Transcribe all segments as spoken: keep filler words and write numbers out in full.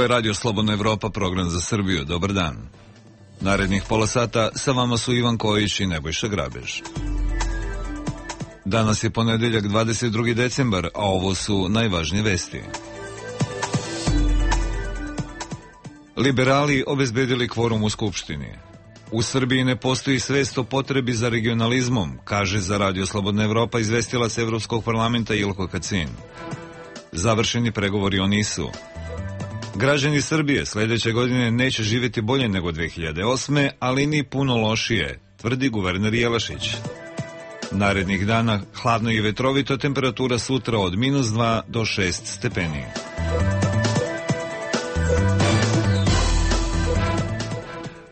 Ovo je Radio Slobodna Evropa, program za Srbiju. Dobar dan. Narednih pola sata sa vama su Ivan Kojić i Nebojša Grabež. Danas je ponedeljak dvadeset drugi decembar, a ovo su najvažnije vesti. Liberali obezbedili kvorum u Skupštini. U Srbiji ne postoji svest o potrebi za regionalizmom, kaže za Radio Slobodna Evropa izvestilac Evropskog parlamenta Ilko Kacin. Završeni pregovori o NIS-u. Građani Srbije sledeće godine neće živjeti bolje nego dve hiljade osme, ali ni puno lošije, tvrdi guverner Jelašić. Narednih dana hladno i vetrovito, temperatura sutra od minus dva do šest stepeni.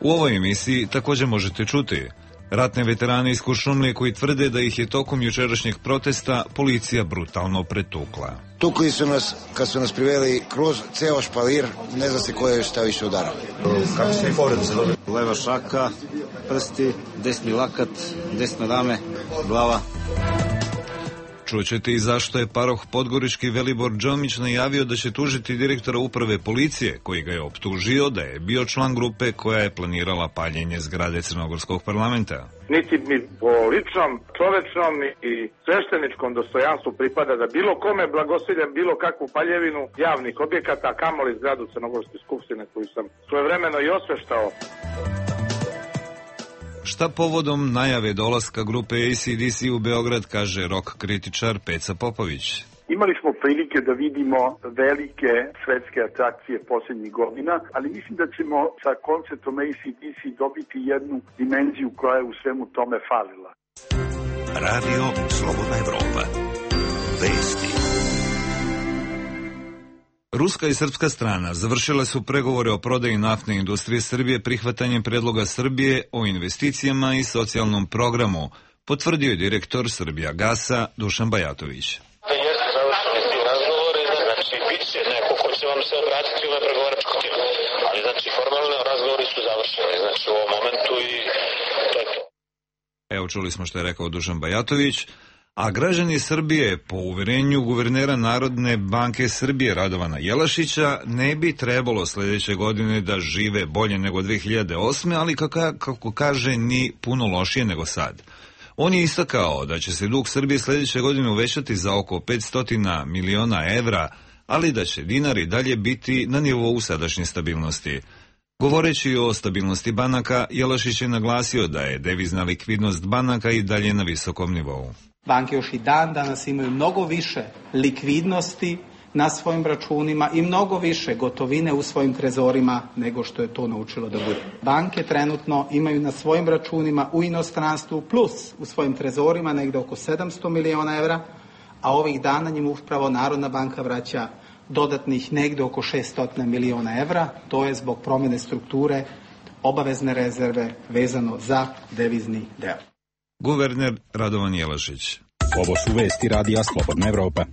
U ovoj emisiji također možete čuti ratne veterane iz Kuršumlije koji tvrde da ih je tokom jučerašnjeg protesta policija brutalno pretukla. Tukli su nas, kad su nas priveli kroz ceo špalir, ne zna se ko je šta više udarao. Kako se i povrede se dobili? Leva šaka, prsti, desni lakat, desna rame, glava. Čućete i zašto je paroh podgorički Velibor Đomić najavio da će tužiti direktora uprave policije, koji ga je optužio da je bio član grupe koja je planirala paljenje zgrade Crnogorskog parlamenta. Niti mi po ličnom, čovečnom i svešteničkom dostojanstvu pripada da bilo kome blagosiljem bilo kakvu paljevinu javnih objekata, a kamoli zgradu Crnogorske skupštine koju sam svojevremeno i osveštao. Šta povodom najave dolaska grupe A C D C u Beograd, kaže rock kritičar Peca Popović. Imali smo prilike da vidimo velike svetske atrakcije posljednjih godina, ali mislim da ćemo sa koncertom A C D C dobiti jednu dimenziju koja je u svemu tome falila. Radio Slobodna Evropa. Vesti. Ruska i srpska strana završile su pregovore o prodaji naftne industrije Srbije prihvatanjem predloga Srbije o investicijama i socijalnom programu, potvrdio je direktor Srbija Gasa Dušan Bajatović. Jeste završeni ti razgovori, znači bit će neko ko će vam se obratiti u ove pregovaračko tijelo, ali znači formalno razgovori su završeni, znači u ovom momentu i to je to. Evo čuli smo što je rekao Dušan Bajatović. A građani Srbije, po uverenju guvernera Narodne banke Srbije Radovana Jelašića, ne bi trebalo sledeće godine da žive bolje nego dve hiljade osme, ali kako, kako kaže ni puno lošije nego sad. On je istakao da će se dug Srbije sledeće godine uvećati za oko petsto miliona evra, ali da će dinar i dalje biti na nivou sadašnje stabilnosti. Govoreći o stabilnosti banaka, Jelašić je naglasio da je devizna likvidnost banaka i dalje na visokom nivou. Banke još i dan danas imaju mnogo više likvidnosti na svojim računima i mnogo više gotovine u svojim trezorima nego što je to naučilo da bude. Banke trenutno imaju na svojim računima u inostranstvu plus u svojim trezorima negde oko sedamsto miliona evra, a ovih dana njim upravo Narodna banka vraća dodatnih negde oko šesto miliona evra. To je zbog promjene strukture obavezne rezerve vezano za devizni deo. Guverner Radovan Jelašić. Ovo su vesti Radija Slobodna Evropa.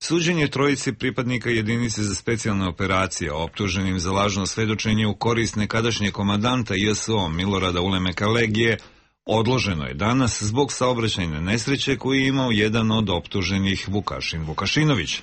Suđenje trojici pripadnika jedinice za specijalne operacije optuženim za lažno svedočenje u korist nekadašnjeg komandanta J S O Milorada Ulemeka Legije odloženo je danas zbog saobraćajne nesreće koju je imao jedan od optuženih Vukašin Vukašinović.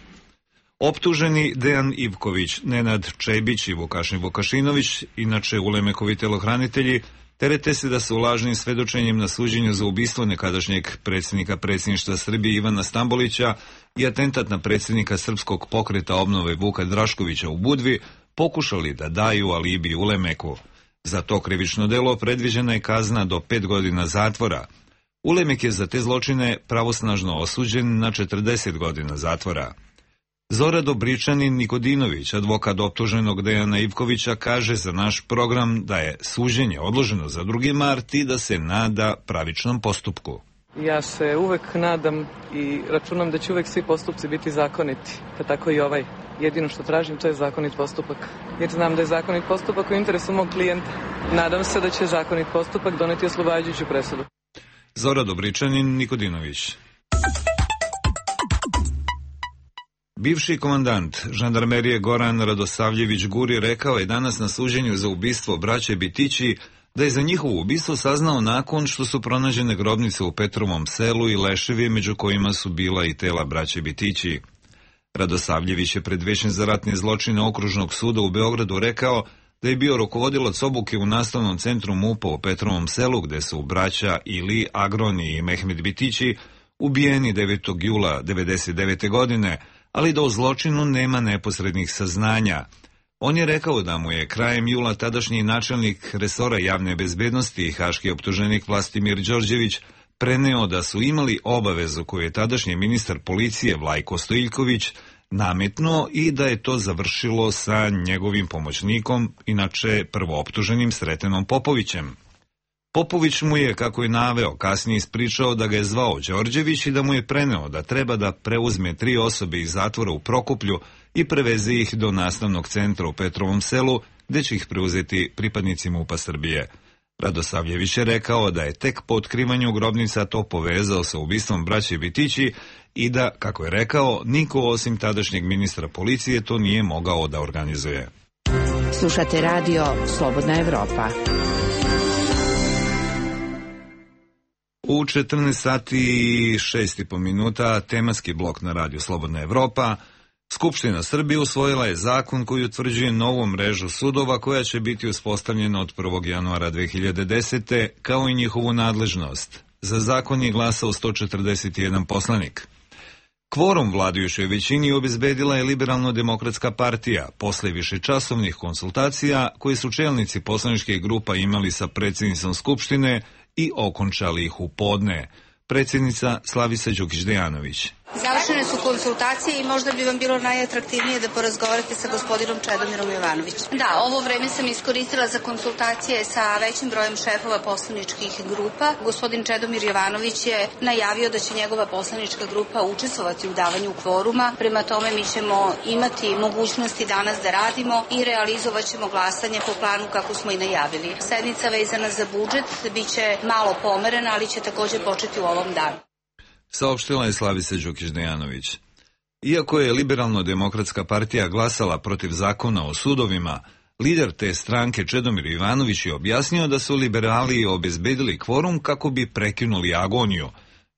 Optuženi Dejan Ivković, Nenad Čebić i Vukašin Vukašinović, inače Ulemekovi telohranitelji, terete se da su lažnim svedočenjem na suđenju za ubistvo nekadašnjeg predsjednika predsjedništva Srbije Ivana Stambolića i atentat na predsjednika Srpskog pokreta obnove Vuka Draškovića u Budvi pokušali da daju alibi Ulemeku. Za to krivično delo predviđena je kazna do pet godina zatvora. Ulemek je za te zločine pravosnažno osuđen na četrdeset godina zatvora. Zora Dobričanin Nikodinović, advokat optuženog Dejana Ivkovića, kaže za naš program da je suđenje odloženo za drugi mart i da se nada pravičnom postupku. Ja se uvek nadam i računam da će uvek svi postupci biti zakoniti, pa tako i ovaj. Jedino što tražim to je zakonit postupak, jer znam da je zakonit postupak u interesu mog klijenta. Nadam se da će zakonit postupak doneti oslobađajuću presudu. Zora Dobričanin Nikodinović. Bivši komandant žandarmerije Goran Radosavljević Guri rekao je danas na suđenju za ubistvo braće Bitići da je za njihovo ubistvo saznao nakon što su pronađene grobnice u Petrovom selu i leševi među kojima su bila i tela braće Bitići. Radosavljević je pred Većem za ratne zločine Okružnog suda u Beogradu rekao da je bio rukovodilac obuke u nastavnom centru MUP-a u Petrovom Selu, gde su braća Ili Agroni i Mehmed Bitići ubijeni devetog jula devedeset devete. godine, ali da o zločinu nema neposrednih saznanja. On je rekao da mu je krajem jula tadašnji načelnik resora javne bezbednosti i haški optuženik Vlastimir Đorđević preneo da su imali obavezu koju je tadašnji ministar policije Vlajko Stojiljković nametnuo i da je to završilo sa njegovim pomoćnikom, inače prvooptuženim Sretenom Popovićem. Popović mu je, kako je naveo, kasnije ispričao da ga je zvao Đorđević i da mu je preneo da treba da preuzme tri osobe iz zatvora u Prokuplju i preveze ih do nastavnog centra u Petrovom Selu, gde će ih preuzeti pripadnici MUP-a Srbije. Radosavljević je rekao da je tek po otkrivanju grobnica to povezao sa ubistvom braće Bitići i da, kako je rekao, niko osim tadašnjeg ministra policije to nije mogao da organizuje. Slušate radio Slobodna Evropa. U četrnaest sati i šest i po minuta tematski blok na radiju Slobodna Evropa. Skupština Srbije usvojila je zakon koji utvrđuje novu mrežu sudova koja će biti uspostavljena od prvog januara dve hiljade desete. kao i njihovu nadležnost. Za zakon je glasao sto četrdeset jedan poslanik. Kvorum vladajućoj većini obezbedila je Liberalno-demokratska partija posle višečasovnih konsultacija koje su čelnici poslaničkih grupa imali sa predsjednicom Skupštine i okončali ih u podne. Predsjednica Slavica Đukić-Dejanović. Završene su konsultacije i možda bi vam bilo najatraktivnije da porazgovarate sa gospodinom Čedomirom Jovanovićem. Da, ovo vreme sam iskoristila za konsultacije sa većim brojem šefova poslaničkih grupa. Gospodin Čedomir Jovanović je najavio da će njegova poslanička grupa učestvovati u davanju kvoruma. Prema tome mi ćemo imati mogućnosti danas da radimo i realizovat ćemo glasanje po planu kako smo i najavili. Sednica vezana za budžet biće malo pomerena, ali će također početi u ovom danu. Saopštila je Slavica Đukić-Dejanović. Iako je Liberalno-demokratska partija glasala protiv zakona o sudovima, lider te stranke Čedomir Jovanović je objasnio da su liberali obezbedili kvorum kako bi prekinuli agoniju.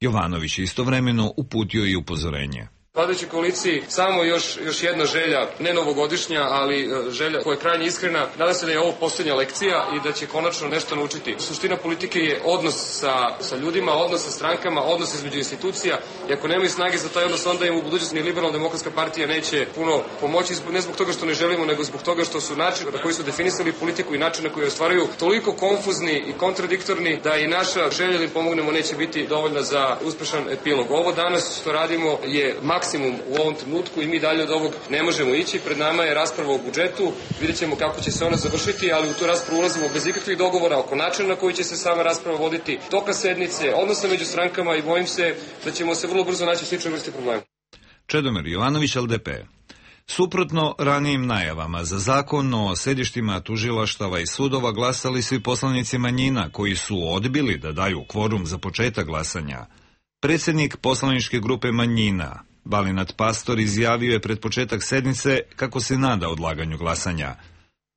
Jovanović istovremeno uputio i upozorenje. Vladajućoj koaliciji samo još, još jedna želja, ne novogodišnja, ali želja koja je krajnje iskrena. Nadam se da je ovo posljednja lekcija i da će konačno nešto naučiti. Suština politike je odnos sa, sa ljudima, odnos sa strankama, odnos između institucija. I ako nemaju snage za taj odnos, onda im u budućnosti ni Liberalno-demokratska partija neće puno pomoći, ne zbog toga što ne želimo, nego zbog toga što su način na koji su definisali politiku i način na koji ostvaruju toliko konfuzni i kontradiktorni da i naša želja da im pomognemo neće biti dovoljna za uspešan epilog. Ovo danas što radimo je maksimum u ovom trenutku i mi dalje od ovog ne možemo ići. Pred nama je rasprava o budžetu, vidjet ćemo kako će se ona završiti, ali u tu raspravu ulazimo bez ikakvih dogovora oko načina na koji će se sama rasprava voditi, toka sednice, odnosa među strankama i bojim se da ćemo se vrlo brzo naći u sličnoj vrsti problema. Čedomir Jovanović, L D P. Suprotno ranijim najavama za zakon o sedištima tužilaštava i sudova glasali su i poslanici manjina koji su odbili da daju kvorum za početak glasanja. Predsjednik poslaničke grupe manjina Balinat Pastor izjavio je pred početak sednice kako se nada odlaganju glasanja.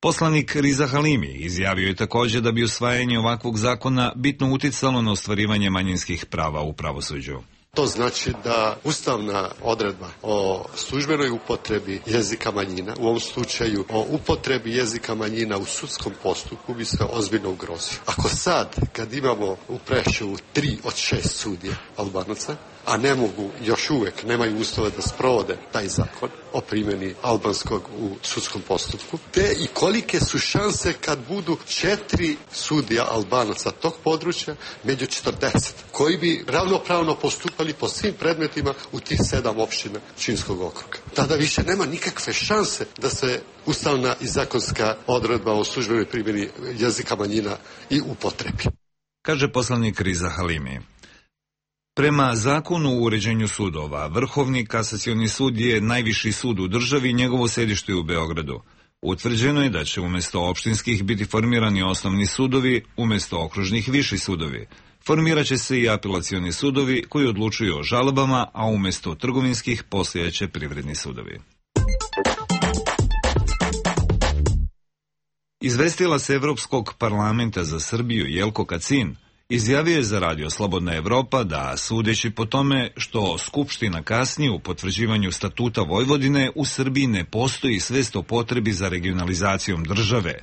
Poslanik Riza Halimi izjavio je također da bi usvajanje ovakvog zakona bitno uticalo na ostvarivanje manjinskih prava u pravosuđu. To znači da ustavna odredba o službenoj upotrebi jezika manjina, u ovom slučaju o upotrebi jezika manjina u sudskom postupku, bi se ozbiljno ugrozio. Ako sad, kad imamo u Preševu tri od šest sudija Albanaca, a ne mogu, još uvek nemaju uslove da sprovode taj zakon o primjeni albanskog u sudskom postupku, te i kolike su šanse kad budu četiri sudija Albanaca tog područja među četrdeset, koji bi ravnopravno postupali po svim predmetima u tih sedam opština Pčinjskog okruga. Tada više nema nikakve šanse da se ustavna i zakonska odredba o službenoj primjeni jezika manjina i upotrebi. Kaže poslanik Riza Halimi. Prema zakonu o uređenju sudova, Vrhovni kasacioni sud je najviši sud u državi i njegovo sedište je u Beogradu. Utvrđeno je da će umjesto opštinskih biti formirani osnovni sudovi, umjesto okružnih viši sudovi. Formirat će se i apelacioni sudovi koji odlučuju o žalbama, a umjesto trgovinskih postojaće privredni sudovi. Izvestila se Evropskog parlamenta za Srbiju Jelko Kacin Izjavio je za Radio Slobodna Evropa da, sudeći po tome što Skupština kasni u potvrđivanju statuta Vojvodine, u Srbiji ne postoji svest o potrebi za regionalizacijom države.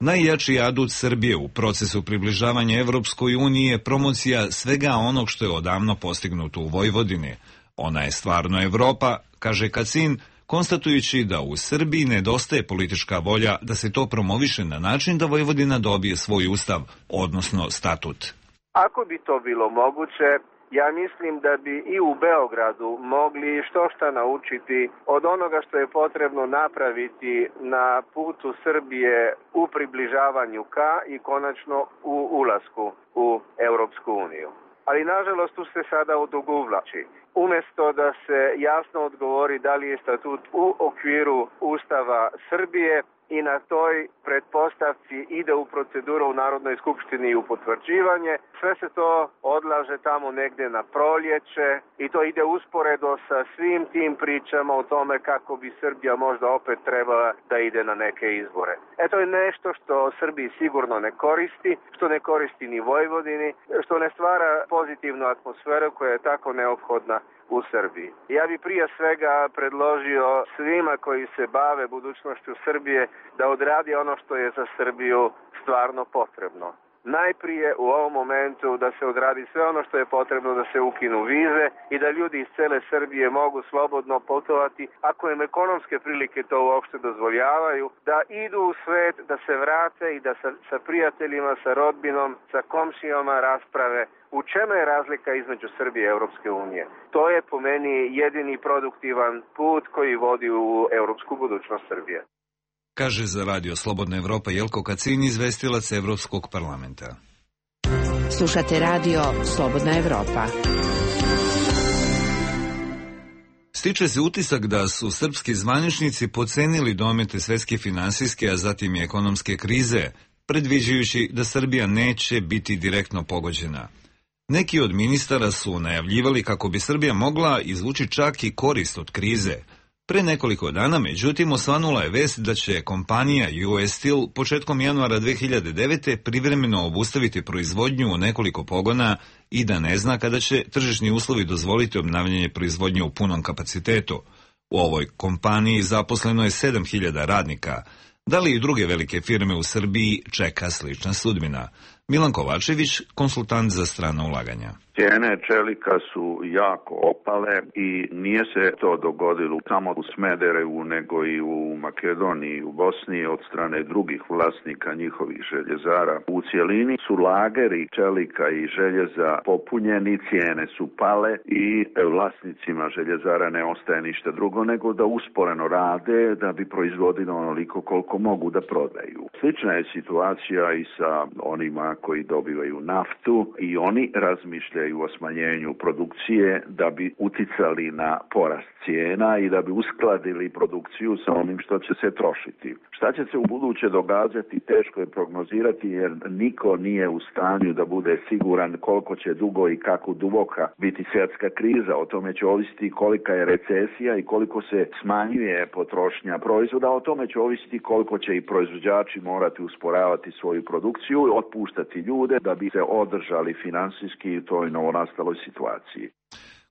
Najjači adut Srbije u procesu približavanja Evropskoj uniji je promocija svega onog što je odavno postignuto u Vojvodini. Ona je stvarno Evropa, kaže Kacin, konstatujući da u Srbiji nedostaje politička volja da se to promoviše na način da Vojvodina dobije svoj ustav, odnosno statut. Ako bi to bilo moguće, ja mislim da bi i u Beogradu mogli što šta naučiti od onoga što je potrebno napraviti na putu Srbije u približavanju ka i konačno u ulasku u Europsku uniju. Ali nažalost tu se sada odugovlači. Umesto da se jasno odgovori da li je statut u okviru Ustava Srbije i na toj pretpostavci ide u proceduru u Narodnoj skupštini i u potvrđivanje, sve se to odlaže tamo negde na proljeće i to ide usporedo sa svim tim pričama o tome kako bi Srbija možda opet trebala da ide na neke izbore. E to je nešto što Srbiji sigurno ne koristi, što ne koristi ni Vojvodini, što ne stvara pozitivnu atmosferu koja je tako neophodna u Srbiji. Ja bi prije svega predložio svima koji se bave budućnošću Srbije da odradi ono što je za Srbiju stvarno potrebno. Najprije u ovom momentu da se odradi sve ono što je potrebno, da se ukinu vize i da ljudi iz cele Srbije mogu slobodno putovati, ako im ekonomske prilike to uopšte dozvoljavaju, da idu u svet, da se vrate i da sa, sa prijateljima, sa rodbinom, sa komšijama rasprave u čemu je razlika između Srbije i Europske unije. To je po meni jedini produktivan put koji vodi u europsku budućnost Srbije. Kaže za Radio Slobodna Evropa Jelko Kacin, izvestilac Evropskog parlamenta. Slušate Radio Slobodna Evropa. Stiče se utisak da su srpski zvaničnici podcenili domete svetske finansijske, a zatim i ekonomske krize, predviđajući da Srbija neće biti direktno pogođena. Neki od ministara su najavljivali kako bi Srbija mogla izvući čak i korist od krize. Pre nekoliko dana, međutim, osvanula je vest da će kompanija U S Steel početkom januara dve hiljade devete. privremeno obustaviti proizvodnju u nekoliko pogona i da ne zna kada će tržišni uslovi dozvoliti obnavljanje proizvodnje u punom kapacitetu. U ovoj kompaniji zaposleno je sedam hiljada radnika. Da li i druge velike firme u Srbiji čeka slična sudbina? Milan Kovačević, konsultant za strana ulaganja. Cijene čelika su jako opale i nije se to dogodilo samo u Smederevu, nego i u Makedoniji, u Bosni od strane drugih vlasnika njihovih željezara. U cijelini su lageri čelika i željeza popunjeni, cijene su pale i vlasnicima željezara ne ostaje ništa drugo nego da usporeno rade da bi proizvodili onoliko koliko mogu da prodaju. Slična je situacija i sa onima koji dobivaju naftu i oni razmišljaju o smanjenju produkcije da bi uticali na porast cijena i da bi uskladili produkciju sa onim što će se trošiti. Šta će se u buduće događati, teško je prognozirati jer niko nije u stanju da bude siguran koliko će dugo i kako duboka biti svjetska kriza. O tome će ovisiti kolika je recesija i koliko se smanjuje potrošnja proizvoda. O tome će ovisiti koliko će i proizvođači morati usporavati svoju produkciju i otpuštati ljude da bi se održali finansijski u toj novonastaloj situaciji.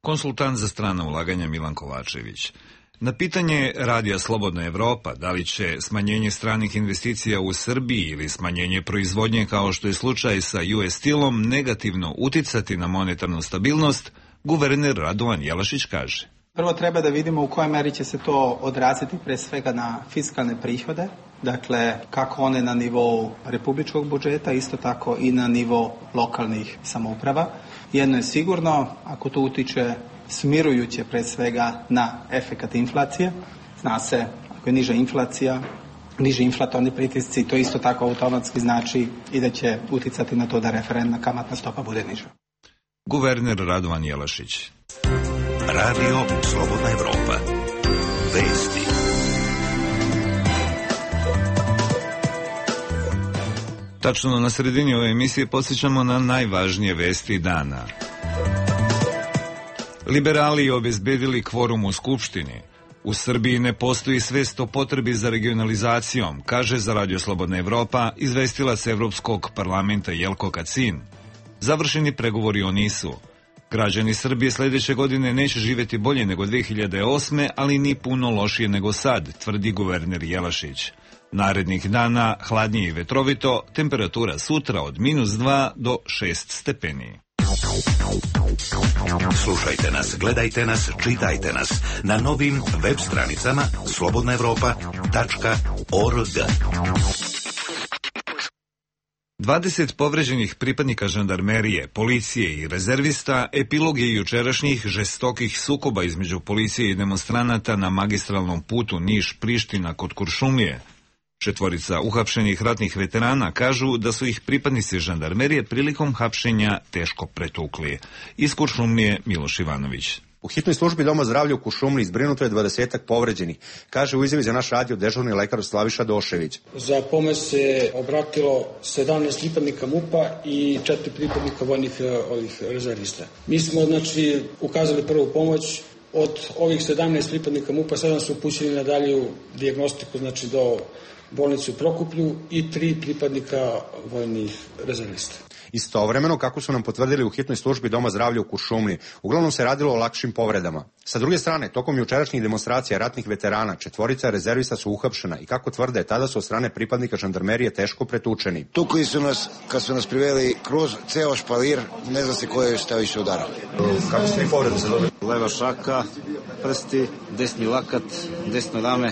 Konsultant za strana ulaganja Milan Kovačević. Na pitanje Radija Slobodna Evropa da li će smanjenje stranih investicija u Srbiji ili smanjenje proizvodnje kao što je slučaj sa U S Steelom negativno uticati na monetarnu stabilnost, guverner Radovan Jelašić kaže. Prvo treba da vidimo u kojoj meri će se to odraziti pre svega na fiskalne prihode, dakle kako one na nivou republičkog budžeta, isto tako i na nivou lokalnih samouprava. Jedno je sigurno, ako to utiče smirujuće pre svega na efekat inflacije, zna se ako je niža inflacija, niži inflatorni pritisci, to isto tako automatski znači i da će uticati na to da referentna kamatna stopa bude niža. Guverner Radovan Jelašić. Radio Slobodna Evropa. Vesti. Tačno na sredini ove emisije podsjećamo na najvažnije vesti dana. Liberali obezbedili kvorum u Skupštini. U Srbiji ne postoji svest o potrebi za regionalizacijom, kaže za Radio Slobodna Evropa izvestilac Evropskog parlamenta Jelko Kacin. Završeni pregovori o nisu. Građani Srbije sljedeće godine neće živjeti bolje nego dve hiljade osme, ali ni puno lošije nego sad, tvrdi guverner Jelašić. Narednih dana hladnije i vetrovito, temperatura sutra od minus dva do šest stepeni. Slušajte nas, gledajte nas, čitajte nas na novim web stranicama slobodna evropa tačka org. dvadeset povređenih pripadnika žandarmerije, policije i rezervista epilog je jučerašnjih žestokih sukoba između policije i demonstranata na magistralnom putu Niš-Priština kod Kuršumlije. Četvorica uhapšenih ratnih veterana kažu da su ih pripadnici žandarmerije prilikom hapšenja teško pretukli. Iz Kuršumlije Miloš Ivanović. U hitnoj službi Doma zdravlja u Kuršumliji zbrinuto je dvadesetak povređenih, kaže u izjavi za naš radio dežurni lekar Slaviša Došević. Za pomoć se obratilo sedamnaest pripadnika MUP-a i četiri pripadnika vojnih ovih rezervista. Mi smo znači ukazali prvu pomoć. Od ovih sedamnaest pripadnika MUP-a sedam su upućeni na dalju dijagnostiku, znači do bolnice u Prokuplju i tri pripadnika vojnih rezervista. Istovremeno, kako su nam potvrdili u hitnoj službi Doma zdravlja u Kuršumliji, uglavnom se radilo o lakšim povredama. Sa druge strane, tokom jučerašnjih demonstracija ratnih veterana, četvorica rezervista su uhapšena i kako tvrde, tada su od strane pripadnika žandarmerije teško pretučeni. Tukli su nas, kad su nas priveli kroz ceo špalir, ne zna se ko je šta više udarao. Kako ste i povrede se dobili? Leva šaka, prsti, desni lakat, desno rame,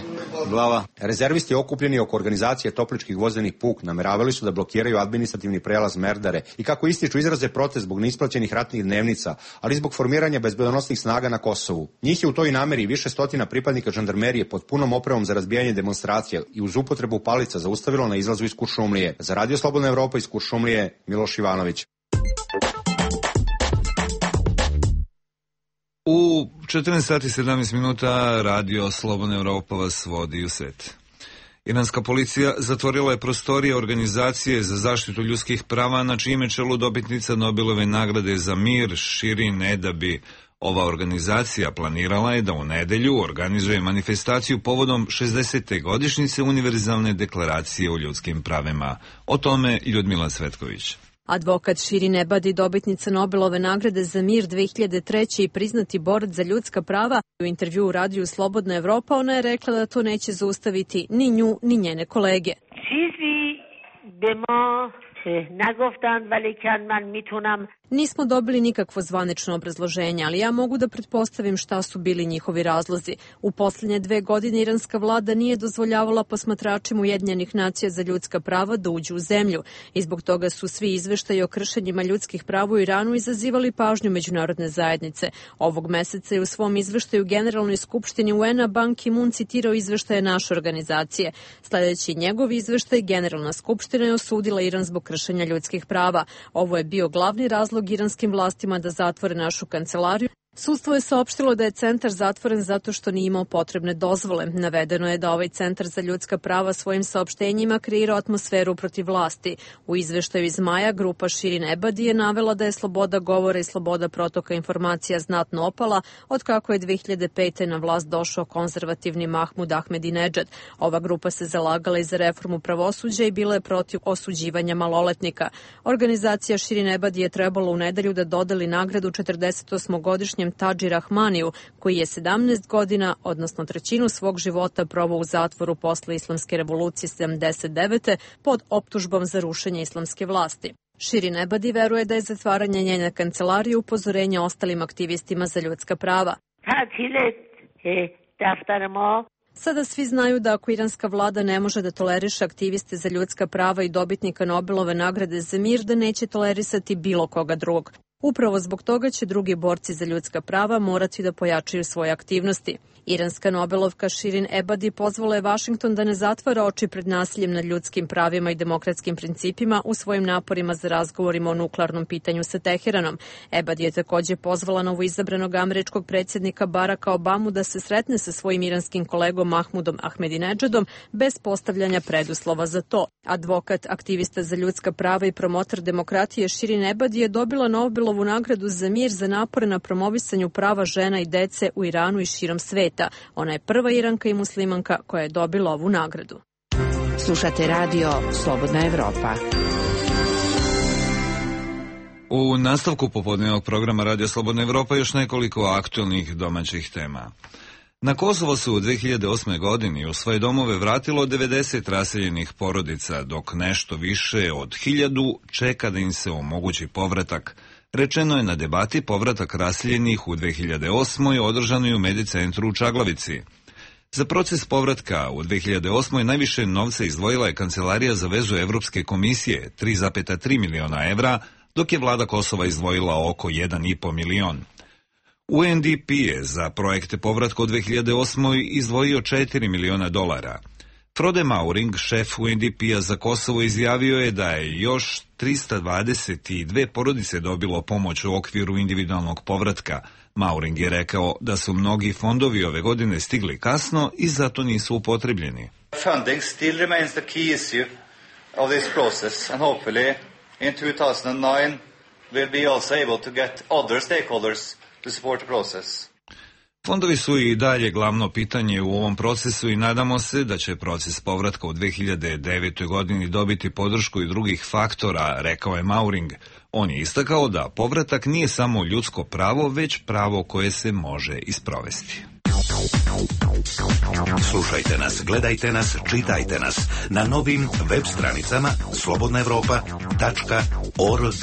glava. Rezervisti okupljeni oko organizacije Topličkih vozenih puk nameravali su da blokiraju administrativni prelaz Merdare i kako ističu izraze protest zbog neisplaćenih ratnih dnevnica, ali zbog formiranja bezbedonosnih snaga na Kosovu. Njih je u toj nameri više stotina pripadnika žandarmerije pod punom opremom za razbijanje demonstracija i uz upotrebu palica zaustavilo na izlazu iz Kuršumlije. Za Radio Slobodna Evropa iz Kuršumlije, Miloš Ivanović. U četrnaest sati sedamnaest minuta Radio Slobodna Evropa vas vodi u svet. Iranska policija zatvorila je prostorije organizacije za zaštitu ljudskih prava, na čime čelu dobitnica Nobelove nagrade za mir Shirin Ebadi. Ova organizacija planirala je da u nedelju organizuje manifestaciju povodom šezdesete godišnjice Univerzalne deklaracije o ljudskim pravima. O tome Ljudmila Cvetković. Advokat Shirin Ebadi, dobitnica Nobelove nagrade za mir dve hiljade treće i priznati borac za ljudska prava, u intervjuu u radiju Slobodna Evropa ona je rekla da to neće zaustaviti ni nju ni njene kolege. Nismo dobili nikakvo zvanično obrazloženje, ali ja mogu da pretpostavim šta su bili njihovi razlozi. U posljednje dve godine iranska vlada nije dozvoljavala posmatračima Ujedinjenih nacija za ljudska prava da uđu u zemlju i zbog toga su svi izveštaji o kršenjima ljudskih prava u Iranu izazivali pažnju međunarodne zajednice. Ovog meseca je u svom izveštaju Generalnoj skupštini U N-a Ban Ki-moon citirao izveštaje naše organizacije. Sljedeći njegov izveštaj, Generalna skupština je osudila Iran zbog kršenja ljudskih prava. Ovo je bio glavni razlog iranskim vlastima da zatvore našu kancelariju. Sudstvo je saopštilo da je centar zatvoren zato što nije imao potrebne dozvole. Navedeno je da ovaj centar za ljudska prava svojim saopštenjima kreira atmosferu protiv vlasti. U izveštaju iz maja grupa Shirin Ebadi je navela da je sloboda govora i sloboda protoka informacija znatno opala od kako je dve hiljade pete na vlast došao konzervativni Mahmud Ahmedinedžad. Ova grupa se zalagala i za reformu pravosuđa i bila je protiv osuđivanja maloletnika. Organizacija Shirin Ebadi je trebala u nedelju da dodeli nagradu četrdesetosmogodišnjem Tadži Rahmaniju, koji je sedamnaest godina, odnosno trećinu svog života proveo u zatvoru posle Islamske revolucije sedamdeset devete pod optužbom za rušenje islamske vlasti. Shirin Ebadi veruje da je zatvaranje njene kancelarije upozorenje ostalim aktivistima za ljudska prava. Sada svi znaju da ako iranska vlada ne može da toleriše aktiviste za ljudska prava i dobitnika Nobelove nagrade za mir, da neće tolerisati bilo koga drugog. Upravo zbog toga će drugi borci za ljudska prava morati da pojačaju svoje aktivnosti. Iranska Nobelovka Shirin Ebadi pozvala je Vašington da ne zatvara oči pred nasiljem nad ljudskim pravima i demokratskim principima u svojim naporima za razgovorima o nuklearnom pitanju sa Teheranom. Ebadi je također pozvala novoizabranog američkog predsjednika Baracka Obamu da se sretne sa svojim iranskim kolegom Mahmudom Ahmedinedžadom bez postavljanja preduslova za to. Advokat, aktivista za ljudska prava i promotor demokratije Shirin Ebadi je dobila Nobelovu nagradu za mir za napore na promovisanju prava žena i dece u Iranu i širom sveta. Ona je prva Iranka i muslimanka koja je dobila ovu nagradu. Slušate radio Slobodna Evropa. U nastavku popodnevnog programa Radio Slobodna Evropa još nekoliko aktualnih domaćih tema. Na Kosovo se u dve hiljade osme. godini u svoje domove vratilo devedeset raseljenih porodica, dok nešto više od hiljadu čeka da im se omogući povratak. Rečeno je na debati povratak raseljenih u dve hiljade osmoj. održanoj u Medicentru u Čaglavici. Za proces povratka u dve hiljade osmoj. najviše novca izdvojila je Kancelarija za vezu Evropske komisije, tri zarez tri miliona evra, dok je vlada Kosova izdvojila oko jedan i po milion. U en de pe je za projekte povratka u dve hiljade osmoj. izdvojio četiri miliona dolara. Frode Mauring, šef u en de pe-a za Kosovo, izjavio je da je još trista dvadeset dve porodice dobilo pomoć u okviru individualnog povratka. Mauring je rekao da su mnogi fondovi ove godine stigli kasno i zato nisu upotrebljeni. Funding still remains the key issue of this process and hopefully in two thousand nine we'll be also able to get other stakeholders to support the process. Fondovi su i dalje glavno pitanje u ovom procesu i nadamo se da će proces povratka u dve hiljade devetoj. godini dobiti podršku i drugih faktora, rekao je Mauring. On je istakao da povratak nije samo ljudsko pravo, već pravo koje se može isprovesti. Slušajte nas, gledajte nas, čitajte nas na novim web stranicama slobodna evropa tačka org.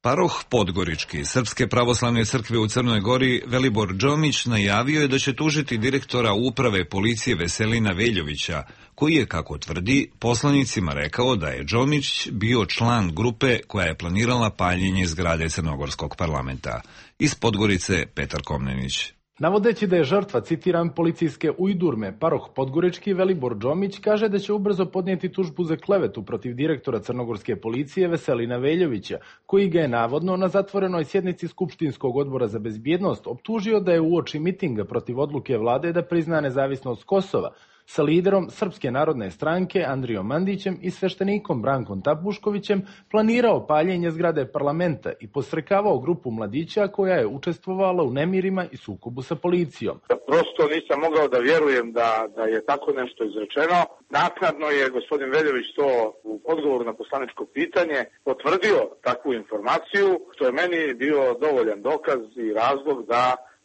Paroh Podgorički Srpske pravoslavne crkve u Crnoj Gori Velibor Džomić najavio je da će tužiti direktora uprave policije Veselina Veljovića, koji je, kako tvrdi, poslanicima rekao da je Džomić bio član grupe koja je planirala paljenje zgrade Crnogorskog parlamenta. Iz Podgorice Petar Komnenić. Navodeći da je žrtva, citiram, policijske ujdurme, paroh Podgorički Velibor Džomić kaže da će ubrzo podnijeti tužbu za klevetu protiv direktora crnogorske policije Veselina Veljovića, koji ga je navodno na zatvorenoj sjednici Skupštinskog odbora za bezbjednost optužio da je uoči mitinga protiv odluke vlade da prizna nezavisnost Kosova sa liderom Srpske narodne stranke Andrijom Mandićem i sveštenikom Brankom Tapuškovićem planirao paljenje zgrade parlamenta i posrekavao grupu mladića koja je učestvovala u nemirima i sukobu sa policijom. Prosto nisam mogao da vjerujem da, da je tako nešto izrečeno. Naknadno je gospodin Veljović to u odgovoru na poslaničko pitanje potvrdio takvu informaciju, što je meni bio dovoljan dokaz i razlog da,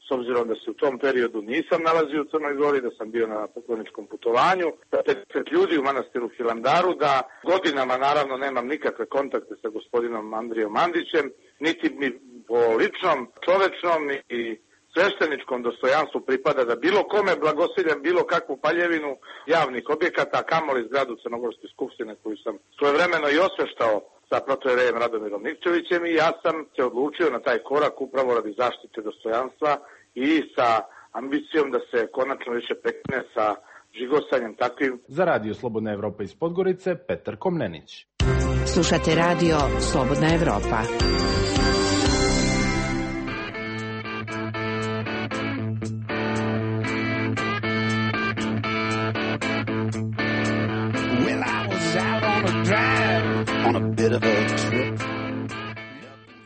s obzirom da se u tom periodu nisam nalazio u Crnoj Gori, da sam bio na pokloničkom putovanju, da pedeset ljudi u manastiru Hilandaru, da godinama naravno nemam nikakve kontakte sa gospodinom Andrijom Mandićem, niti mi po ličnom, čovečnom i svešteničkom dostojanstvu pripada da bilo kome blagosiljam bilo kakvu paljevinu javnih objekata, a kamoli zgradu Crnogorske skupštine koju sam svojevremeno i osveštao sa protojerejem Radomirom Nikčevićem i ja sam se odlučio na taj korak upravo radi zaštite dostojanstva i sa ambicijom da se konačno više prekine sa žigosanjem takvim. Za Radio Slobodna Evropa iz Podgorice, Petar Komnenić. Slušate Radio Slobodna Evropa. Well, I was out on a drive on a bit of a trip.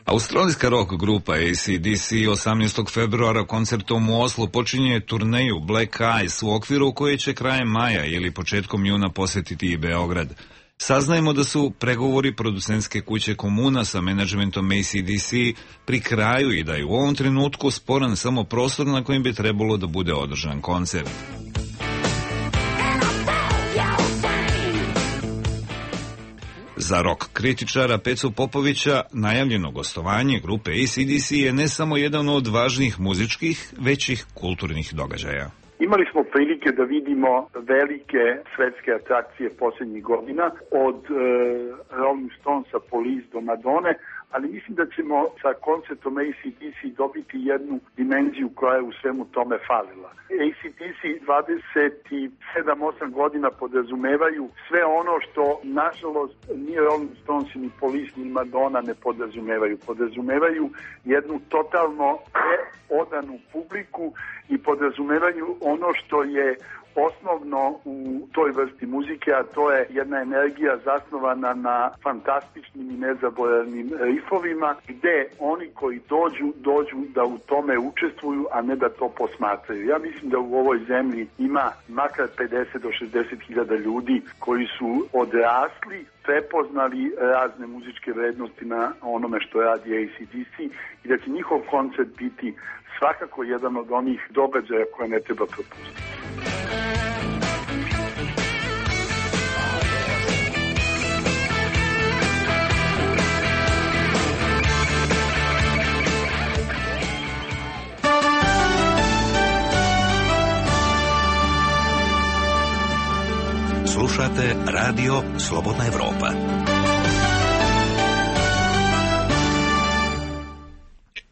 Australijska rock grupa A C D C osamnaestog februara koncertom u Oslu počinje turneju Black Eyes u okviru koje će krajem maja ili početkom juna posjetiti i Beograd. Saznajemo da su pregovori producentske kuće Komuna sa menadžmentom A C D C pri kraju i da je u ovom trenutku sporan samo prostor na kojem bi trebalo da bude održan koncert. Za rock kritičara Pecu Popovića najavljeno gostovanje grupe A C D C je ne samo jedan od važnih muzičkih, već i kulturnih događaja. Imali smo prilike da vidimo velike svetske atrakcije posljednjih godina, od e, Rolling Stonesa, Police do Madone, ali mislim da ćemo sa koncertom A C D C dobiti jednu dimenziju koja je u svemu tome falila. A C D C dvadeset sedam osam godina podrazumevaju sve ono što, nažalost, ni Rolling Stones, ni Police, ni Madonna ne podrazumevaju. Podrazumevaju jednu totalno odanu publiku i podrazumevaju ono što je osnovno u toj vrsti muzike, a to je jedna energija zasnovana na fantastičnim i nezaboravnim rifovima, gde oni koji dođu, dođu da u tome učestvuju, a ne da to posmatraju. Ja mislim da u ovoj zemlji ima makar pedeset do šezdeset hiljada ljudi koji su odrasli, prepoznali razne muzičke vrednosti na onome što radi A C D C i da će njihov koncert biti svakako jedan od onih događaja koje ne treba propustiti. Slušate Radio Slobodna Evropa.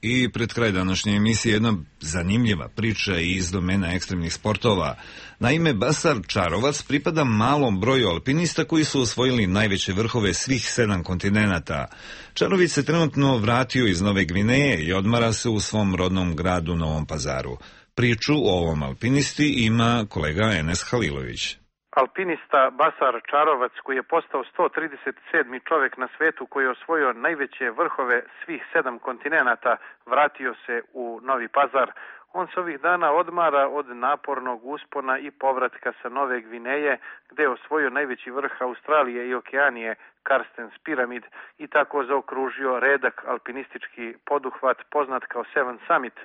I pred kraj današnje emisije jedna zanimljiva priča iz domena ekstremnih sportova. Naime, Basar Čarovac pripada malom broju alpinista koji su osvojili najveće vrhove svih sedam kontinenata. Čarović se trenutno vratio iz Nove Gvineje i odmara se u svom rodnom gradu Novom Pazaru. Priču o ovom alpinisti ima kolega Enes Halilović. Alpinista Basar Čarovac, koji je postao sto trideset sedmi čovek na svetu koji je osvojio najveće vrhove svih sedam kontinenata, vratio se u Novi Pazar. On se ovih dana odmara od napornog uspona i povratka sa Nove Gvineje, gde je osvojio najveći vrh Australije i Okeanije, Karstens piramid, i tako zaokružio redak alpinistički poduhvat poznat kao Seven Summit.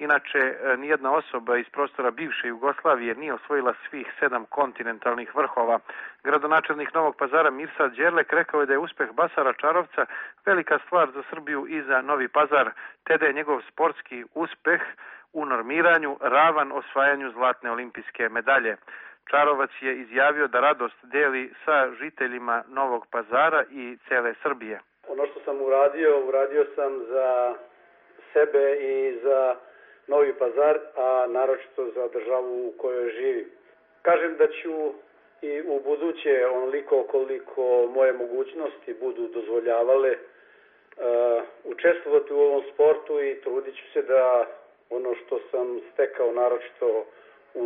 Inače, nijedna osoba iz prostora bivše Jugoslavije nije osvojila svih sedam kontinentalnih vrhova. Gradonačelnik Novog Pazara Mirsad Đerlek rekao je da je uspeh Basara Čarovca velika stvar za Srbiju i za Novi Pazar, te da je njegov sportski uspeh u normiranju ravan osvajanju zlatne olimpijske medalje. Čarovac je izjavio da radost deli sa žiteljima Novog Pazara i cele Srbije. Ono što sam uradio, uradio sam za sebe i za Novi Pazar, a naročito za državu u kojoj živim. Kažem da ću i u buduće, onoliko koliko moje mogućnosti budu dozvoljavale, uh, učestvovati u ovom sportu i trudit ću se da ono što sam stekao naročito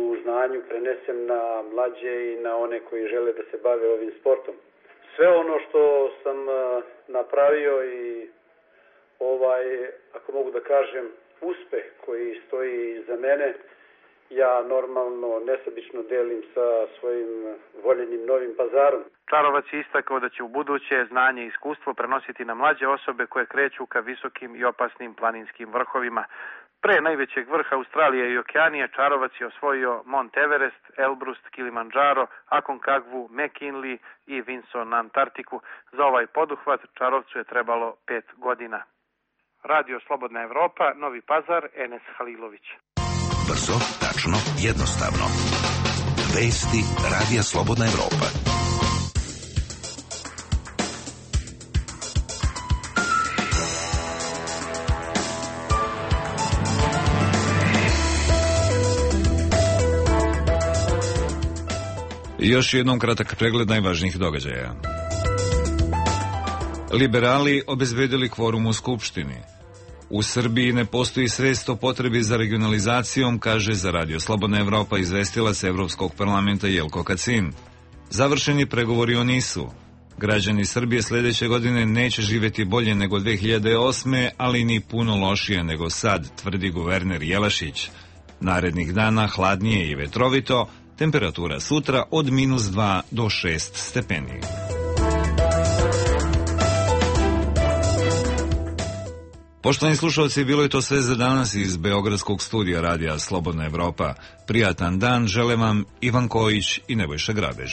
u znanju prenesem na mlađe i na one koji žele da se bave ovim sportom. Sve ono što sam napravio i ovaj, ako mogu da kažem, uspeh koji stoji iza mene, ja normalno nesebično delim sa svojim voljenim Novim Pazarom. Čarovac je istakao da će u buduće znanje i iskustvo prenositi na mlađe osobe koje kreću ka visokim i opasnim planinskim vrhovima. Pre najvećeg vrha Australije i Okeanije, Čarovac je osvojio Mont Everest, Elbrus, Kilimanjaro, Aconcagua, McKinley i Vinson na Antarktiku. Za ovaj poduhvat Čarovcu je trebalo pet godina. Radio Slobodna Evropa, Novi Pazar, Enes Halilović. Brzo, tačno, jednostavno. Vesti Radija Slobodna Evropa. Još jednom kratak pregled najvažnijih događaja. Liberali obezbedili kvorum u Skupštini. U Srbiji ne postoji svest o potrebi za regionalizacijom, kaže za Radio Slobodna Evropa izvestilac Evropskog parlamenta Jelko Kacin. Završeni pregovori o NIS-u. Građani Srbije sledeće godine neće živeti bolje nego dve hiljade osme, ali ni puno lošije nego sad, tvrdi guverner Jelašić. Narednih dana hladnije i vetrovito, temperatura sutra od minus dva do šest stepeni. Poštovani slušalci, bilo je to sve za danas iz Beogradskog studija Radija Slobodna Evropa. Prijatan dan žele vam Ivan Kojić i Nebojša Grabež.